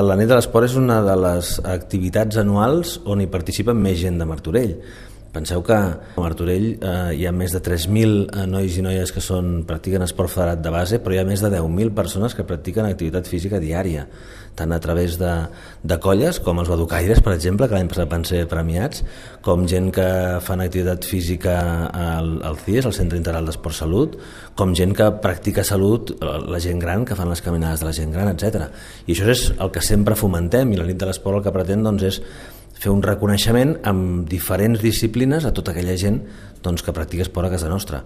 La nit de l'esport és una de les activitats anuals on hi participen més gent de Martorell. Penseu que a Martorell hi ha més de 3.000 nois i noies que practiquen esport federat de base, però hi ha més de 10.000 persones que practiquen activitat física diària, tant a través de colles, com els baducaires, per exemple, que l'any passat van ser premiats, com gent que fan activitat física al CIES, al Centre Integral d'Esport Salut, com gent que practica salut, la gent gran, que fan les caminades de la gent gran, etc. I això és el que sempre fomentem, i la nit de l'esport el que pretén és fer un reconeixement amb diferents disciplines a tota aquella gent que practica esport a casa nostra.